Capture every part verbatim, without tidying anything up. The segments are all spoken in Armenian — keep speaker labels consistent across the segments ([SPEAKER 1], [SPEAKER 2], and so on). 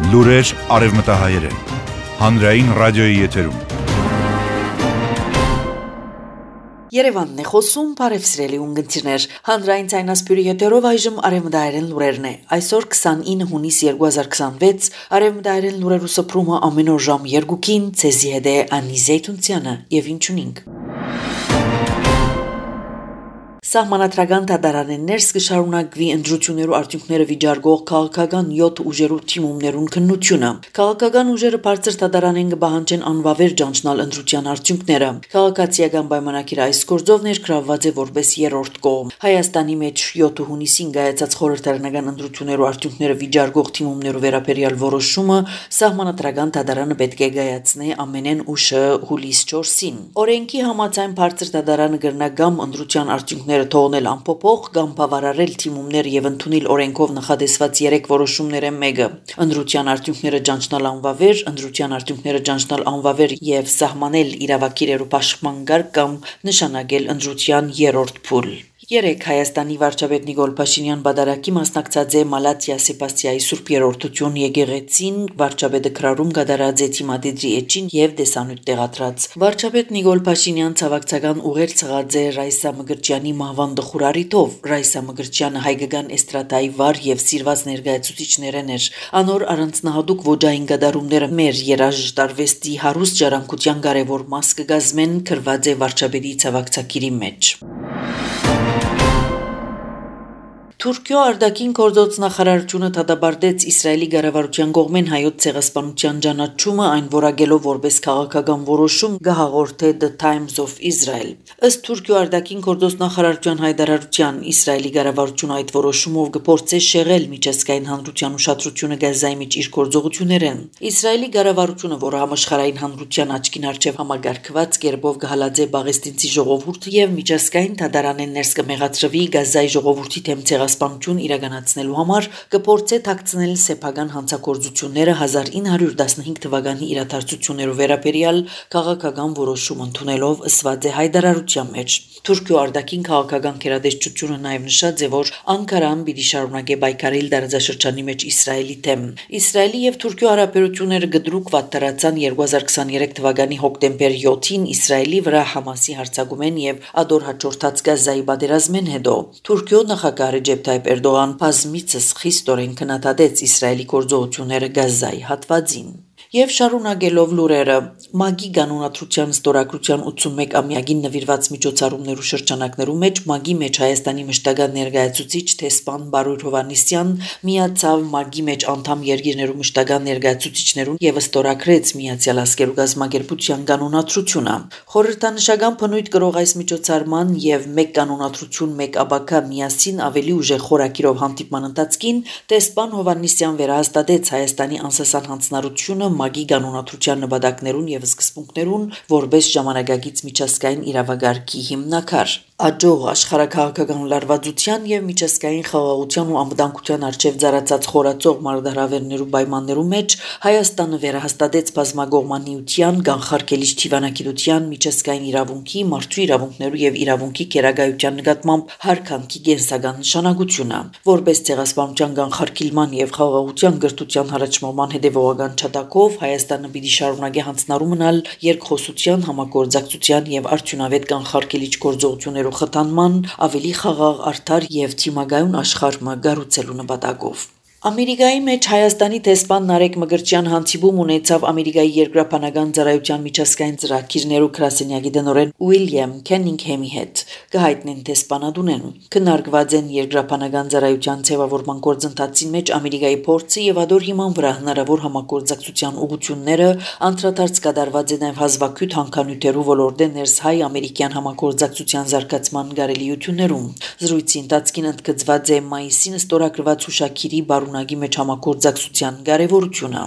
[SPEAKER 1] Լուրեր արևմտահայերեն, հանրային ռադիոյի եթերում։
[SPEAKER 2] Երևանն է խոսում, բարև սիրելի ունգընտիրներ, հանրային ցայնասպյուրի եթերով այժմ արևմտահայերեն լուրերն է։ Այսօր քսանինը հունիս երկու հազար քսանվեց, արևմտահայերեն լուրերու սփռումը ամեն օր ժամ երկուքին, ցեզի հետ է Անի Զեյթունցյանը եւ ինչունինք։ Սահմանադրական դատարաններս կշարունակվի ընտրություններու արդյունքները վիճարկող քաղաքական յոթ ուժերու թիմումներուն քննությունը։ Քաղաքական ուժերը բարձր դատարանեն կբահանջեն անվավեր ճանչնալ ընտրության արդյունքները։ Քաղաքացիական պայմանագիրը այս գործով ներգրավված է որպես երրորդ կողմ։ Հայաստանի մեջ յոթ հունիսին կայացած խորհրդարանական ընտրություններու արդյունքները վիճարկող թիմումներու վերաբերյալ որոշումը սահմանադրական դատարանը պետք է կայացնի ամենեն ուշը հուլիս չորսին։ Օրենքի համաձայն բարձր դատարանը կրնագամ ընտրության արդյունքները թողնել անփոփոխ կամ բավարարել թիմումներ եւ ընդունել օրենքով նախադեсված երեք որոշումները մեկը ընտրության արդյունքները ճանչնալ անվավեր, ընտրության արդյունքները ճանչնալ անվավեր եւ սահմանել իրավակիրերու պաշտպան կարգ կամ նշանակել ընտրության երրորդ փուլ։ Երեք Հայաստանի վարչապետ Նիկոլ Փաշինյան բادرակի մասնակցած է Մալաթիա Սեբաստիայի Սուրբ Երրորդություն եկեղեցին վարչապետը քրարում կատարած է թիմադիդրի էջին եւ դեսանյութ տեղադրած։ Վարչապետ Նիկոլ Փաշինյան ցավակցական ուղեր ցղած է Ռայսա Մգրտչյանի մահվան դխուրարիտով։ Ռայսա Մգրտչյանը հայկական էստրադայի վար եւ սիրված ներկայացուցիչներն էր։ Անոր առանձնահատուկ ոճային գդարումները մեր երաժշտարվեստի հարուստ ժառանգության կարևոր մաս կգազմեն քրված է վարչապետի ցավակցակիրի մեջ։ Թուրքիո արտաքին գործոց նախարարությունը դատապարտեց Իսրայելի կառավարության կողմեն հայոց ցեղասպանության ճանաչումը այն որակելով որպես քաղաքական որոշում գահաղորդե The Times of Israel։ Ըստ Թուրքիո արտաքին գործոց նախարարության հայտարարության Իսրայելի կառավարությունը այդ որոշումով կփորձե շեղել միջազգային հանրության ուշադրությունը Գազայի մեջ իր գործողություններեն։ Իսրայելի կառավարությունը, որը համաշխարհային հանրության աչքին առջև համագարկված կերպով կհալածե Պաղեստինցի ժողովուրդը եւ միջազգային դատարանեն ներս կմեղադրվի Գազայի ժողովրդի դեմ սպանություն իրականացնելու համար կփորձե թաքցնել սեփական հանցագործությունները հազար ինը հարյուր տասնհինգ թվականի իրադարձություններով վերաբերյալ քաղաքական որոշում ընդունելով ըսված է հայտարարության մեջ։ Թուրքիո արտաքին քաղաքական գերատեսչությունը նաև նշած է, որ Անկարան պիտի շարունակե պայքարել տարածաշրջանի մեջ Իսրայելի դեմ։ Իսրայելի եւ Թուրքիո հարաբերությունները գդրուկ վատթարացան երկու հազար քսաներեք թվականի հոկտեմբեր յոթին Իսրայելի վրա Համասի հարձակումեն եւ ադոր հաջորդած Գազայի պատերազմեն հետո։ Թուրքիո նախագահ Ռեջեփ Թայիփ Էրդողան բազմիցս խիստորեն քննադատեց Իսրայելի գործողությունները Գազայի հատվածին։ Եվ շարունակելով լուրերը, ՄԱԳ-ի կանոնադրության ստորագրության ութսունմեկ-ամյակին նվիրված միջոցառումներու շրջանակներու մեջ ՄԱԳ-ի մեջ Հայաստանի մշտական ներկայացուցիչ Թեսպան Բարույր Հովհաննիսյան միացավ ՄԱԳ-ի մեջ անդամ երկիրներու մշտական ներկայացուցիչներուն եւ ստորագրեց Միացյալ Ազգերու գազམ་ագերբության կանոնադրությունը։ Խորհրդանշական բնույթ կրող այս միջոցառման եւ մեկ կանոնադրություն մեկ աբակա միասին ավելի ուժեղ խորակիրով հանդիպման ընթացքին Թեսպան Հովհաննիսյան վերահաստատեց Հայաստանի անսասան հանձնարարությունը ՄԱԳ-ի կանոնադրության նպատակներուն եւ սկզբունքներուն որպես ժամանակակից միջազգային իրավագարկի հիմնակար։ Աջող աշխարհակաղակական լարվածության եւ միջազգային խաղաղության ու անվտանգության արժեվ ծառացած խորացող մարտահրավերներու պայմաններու մեջ Հայաստանը վերահաստատեց բազմագողմանիության, կանխարգելիչ թիվանագիտության, միջազգային իրավունքի, մարդու իրավունքներու եւ իրավունքի քերագայության նկատմամբ հարկանքի կենսական նշանակությունը։ Որպես ցեղասպանության կանխարգելման եւ խաղաղության գրթության հարաճման հետեւողական չատակով Հայաստանը պիտի շարունակի հանձնարարու մնալ երկխոսության, համագործակցության եւ արդյունավետ կանխարգելիչ գործողություններու խթանման ավելի խաղաղ, արդար եւ թիմագայուն աշխարհ մը գառուցելու նպատակով։ Ամերիկայի մեջ Հայաստանի դեսպան Նարեկ Մգրտչյան հանդիպում ունեցավ Ամերիկայի երկրաբանական ծառայության միջազգային ծրագիրներու գրասենյակի տնօրեն Ուիլյամ Քենինգհեմի հետ։ Կհայտնեն դեսպանատունեն։ Քննարկված են երկրաբանական ծառայության ձևավորման գործընթացի մեջ Ամերիկայի փորձը եւ ադոր հիման վրա հնարավոր համագործակցության ուղղությունները, անդրադարձ կատարված է նաեւ հազվագյուտ հանքանյութերու ոլորտի ներս հայ-ամերիկյան համագործակցության զարգացման կարելիություններում։ Զրույցի ընթացքին ընդգծված է մայիսին ստորագրված հուշագիրի Նագի մեջ համագործակցության կարևորությունը։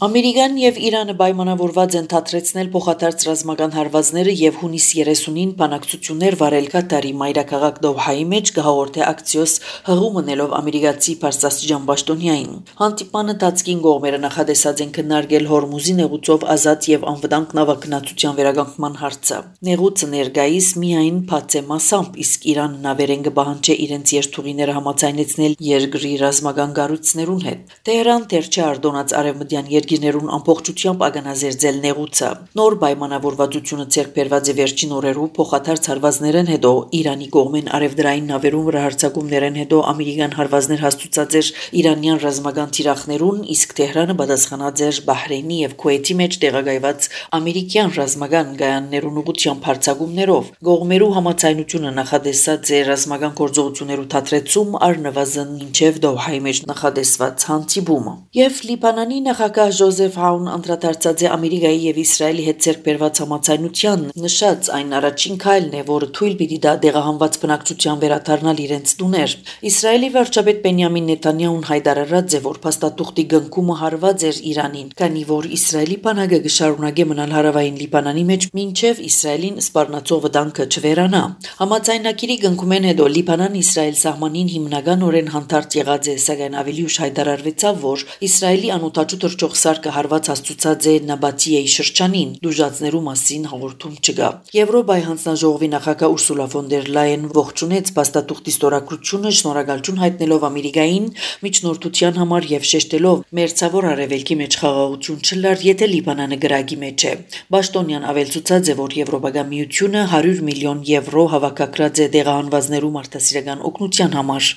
[SPEAKER 2] Ամերիկան եւ Իրանը պայմանավորված են թատրեցնել փոխադարձ ռազմական հարվածները եւ հունիս երեսունին բանակցություններ վարել Կատարի մայրաքաղաք Դոհայի մեջ գահորթե ակցիոս հղում մնելով ամերիկացի Պարսաստիճան Պաշտոնյային։ Հանդիպանը տածկին կողմերը նախադեсած են քննարկել Հորմուզի նեղուցով ազատ եւ անվտանգ նավագնացության վերականգնման հարցը։ Նեղուցը ներկայիս միայն բաց է մասամբ, իսկ Իրանը նավերեն կպահանջի իրենց երթուղիները համաձայնեցնել երկրի ռազմական կառույցներուն հետ։ Տեհրան դեռ չարդոնած արևմտյան երկիրներուն ամբողջությամբ ագանազերծել նեղուցը։ Նոր պայմանավորվածությունը ձեռք բերված է վերջին օրերու փոխադարձ հարվածներեն հետո Իրանի կողմեն արևդրային նավերուն վրա հարձակումներեն հետո ամերիկյան հարվածներ հաստուցած էր իրանյան ռազմական թիրախներուն, իսկ Տեհրանը պատասխանած էր Բահրեյնի եւ Քուվեյթի մեջ տեղակայված ամերիկյան ռազմական գայաններուն ուղղությամբ հարձակումներով։ Կողմերու համաձայնությունը նախադեсած է ռազմական գործողություններու թատրեցում առնվազն մինչև Դոհայի մեջ նախադեсված հանդիպումը։ Եվ Լիբանանի նախագահ Ջոզեֆ Աուն անդրադարձած է Ամերիկայի եւ Իսրայելի հետ ձեռք բերված համաձայնության, նշած այն առաջին քայլն է, որը թույլ պիտի դա դեղահանված բնակչության վերադառնալ իրենց տուներ։ Իսրայելի վարչապետ Բենյամին Նեթանյահուն հայտարարած է, որ փաստաթուղթի գնքումը հարված էր Իրանին, քանի որ Իսրայելի բանակը կշարունակի մնալ հարավային Լիբանանի մեջ մինչև Իսրայելին սպառնացող վտանգը չվերանա։ Համաձայնագիրի գնքումեն հետո Լիբանան-Իսրայել սահմանին հիմնականորեն հանդարտ եղած է, սակայն ավելի ուշ հայտարարվեցավ, որ Իսրայելի անօթաչու թռչող սարքը հարված հաստուցած է Նաբատիեի շրջանին, դժուժացներու մասին հաղորդում չկա։ Եվրոպայի հանձնաժողովի նախագահ Ուրսուլա ֆոն դեր Լայեն ողջունեց փաստաթուղթի ստորագրությունը, շնորհակալություն հայտնելով Ամերիկային միջնորդության համար եւ շեշտելով մերձավոր արևելքի մեջ խաղաղություն չլար, եթե Լիբանանը գրագի մեջ է։ Պաշտոնյան ավելցուցած է, որ Եվրոպական միությունը հարյուր միլիոն եվրո հավաքագրած է դեղահանվածներու մարդասիրական օգնության համար։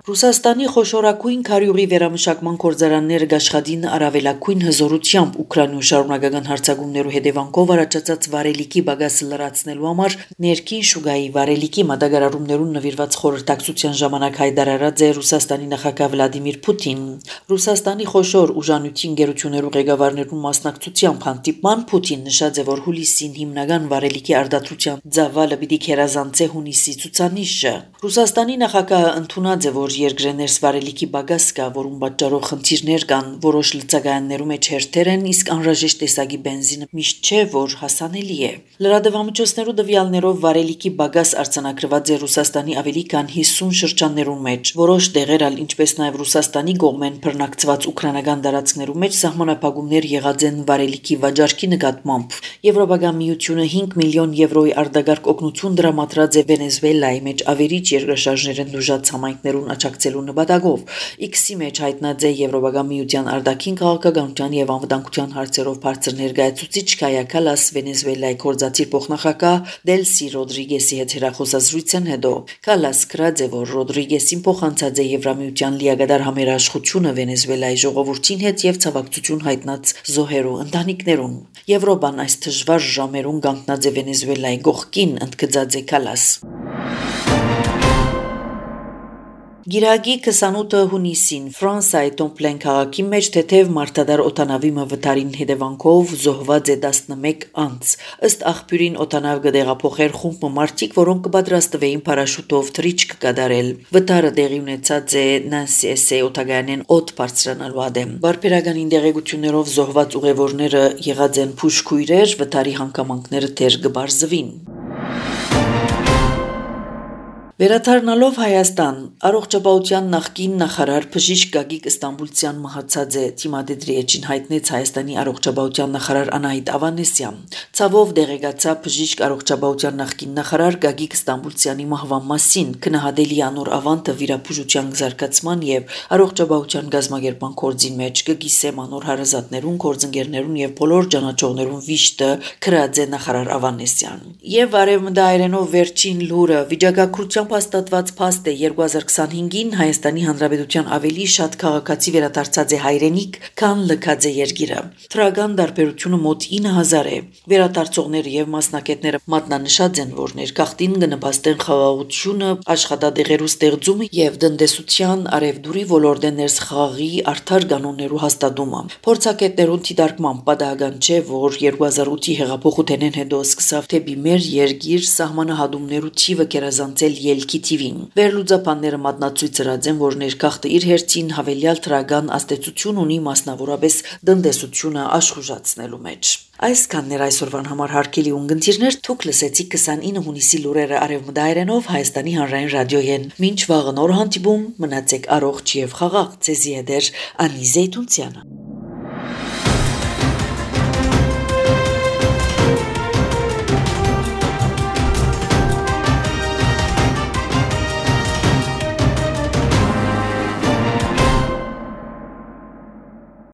[SPEAKER 2] Ռուսաստանի խոշորագույն քարյուղի վերամշակման գործարանները աշխատին առավելագույն հզորությամբ Ուկրաինայում շարունակական հարձակումներու հետևանքով առաջացած վարելիքի բագասը լրացնելու համար ներքին շուկայի վարելիքի մատակարարումներուն նվիրված խորհրդակցության ժամանակ հայտարարած է Ռուսաստանի նախագահ Վլադիմիր Պուտին։ Ռուսաստանի խոշոր ուժանույթին գերություններու ղեկավարներուն մասնակցությամբ հանդիպման Պուտին նշած է, որ հուլիսին հիմնական վարելիքի արդարացության ծավալը պիտի քերազանցե հունիսի ցուցանիշը։ Ռուսաստանի նախագահը ընդունած է, որ երկրներս վարելիքի բագաս կա, որում պատճառով խնդիրներ կան, որոշ լցակայաններու մեջ հերթեր են, իսկ անհրաժեշտ տեսակի բենզինը միշտ չէ, որ հասանելի է։ Լրատվամիջոցներու տվյալներով վարելիքի բագաս արձանագրված է Ռուսաստանի ավելի քան հիսուն շրջաններու մեջ։ Որոշ դեղեր ալ, ինչպես նաև Ռուսաստանի կողմեն բռնակցված ուկրաինական տարածքներու մեջ սահմանափակումներ եղած են վարելիքի վաճառքի նկատմամբ։ Եվրոպական միությունը հինգ միլիոն եվրոյի արտագարկ օգնություն դրամատրած է Վենեսուելայի մեջ ավերիչ երկրաշարժներեն դժուժած համայնքներուն աջակցելու նպատակով։ Իքսի մեջ հայտնած է Եվրոպական միության արտաքին քաղաքականության եւ անվտանգության հարցերով բարձր ներկայացուցիչ Կայա Կալաս Վենեսուելայի կորզածիր փոխնախագահ Դելսի Ռոդրիգեսի հետ հեռախոսազրույցեն հետո Կալաս գրած է, որ Ռոդրիգեսին փոխանցած է Եվրամիության լիագադար համերաշխությունը Վենեսուելայի ժողովրդին հետ եւ ցավակցություն հայտնած զոհերու ընտանիքներուն։ Եվրոպան այս դժվար ժամերուն կանգնած է Վենեսուելայի կողքին, ընդգծած է Կալաս։ Գիրագի քսանութ հունիսին Ֆրանսիայի Տոմպլեն քաղաքի մեջ թեթև մարտադար օտանավի վտարին հետևանքով զոհված է տասնմեկ անձ։ Ըստ աղբյուրին օտանավ կդեղափոխեր խումբ մարդիկ, որոնք կպատրաստվեին պարաշուտով թռիչք կատարել։ Վտարը տեղի ունեցած է Նանսի օտագայանեն օդ բարձրանալու ադեմ։ Բարբերականին դեղեցություններով զոհված ուղևորները եղած են փուշկույրեր, վտարի հանգամանքները դեռ կբարձվին։ Վերադառնալով Հայաստան, առողջապահության նախկին նախարար Բժիշկ Գագիկ Ստամբուլցյան մահացած է, Թիմադեդրի էջին հայտնեց Հայաստանի առողջապահության նախարար Անահիտ Ավանեսյան։ Ցավով դեղեկացավ բժիշկ առողջապահության նախկին նախարար Գագիկ Ստամբուլցյանի մահվան մասին, քննադատելի անոր ավանդը վիրաբուժության զարգացման եւ առողջապահության գազագերբման կորձին մեջ կգիսեմ անոր հարազատներուն, գործընկերներուն եւ բոլոր ճանաչողներուն վիշտը քրած է նախարար Ավանեսյան։ Եվ արևմտայերենով վերջին լուրը վիճակագրության հաստատված փաստ է երկու հազար քսանհինգին Հայաստանի Հանրապետության ավելի շատ քաղաքացի վերադարձած է հայրենիք, քան լքած է երկիրը։ Թրական դարբերությունը մոտ ինը հազար է։ Վերադարձողները եւ մասնակիցները մատնանշած են, որ ներգաղթին կնպաստեն խաղաղությունը, աշխատադեղերու ստեղծումը եւ տնտեսության արևդուրի ոլորտեն ներս խաղի արդար կանոններու հաստատումը։ Փորձագետներուն դիտարկման պատահական չէ, որ երկու հազար ութի հեղափոխութենեն հետո սկսավ թեպի մեր երկիր սահմանահատումներու թիվը կերազանցել ելքի թիվին։ Վերլուծաբանները մատնացույց ծրած են, որ ներքախտը իր հերթին հավելյալ թրական ազդեցություն ունի մասնավորապես տնտեսությունը աշխուժացնելու մեջ։ Այսքանն էր այսօրվան համար հարգելի ունգընտիրներ, դուք լսեցիք քսանինը հունիսի լուրերը արևմտահայերենով Հայաստանի հանրային ռադիոյեն։ Մինչ վաղը նոր հանդիպում, մնացեք առողջ եւ խաղաղ, ցեզի հետ Անի Զեյթունցյանը։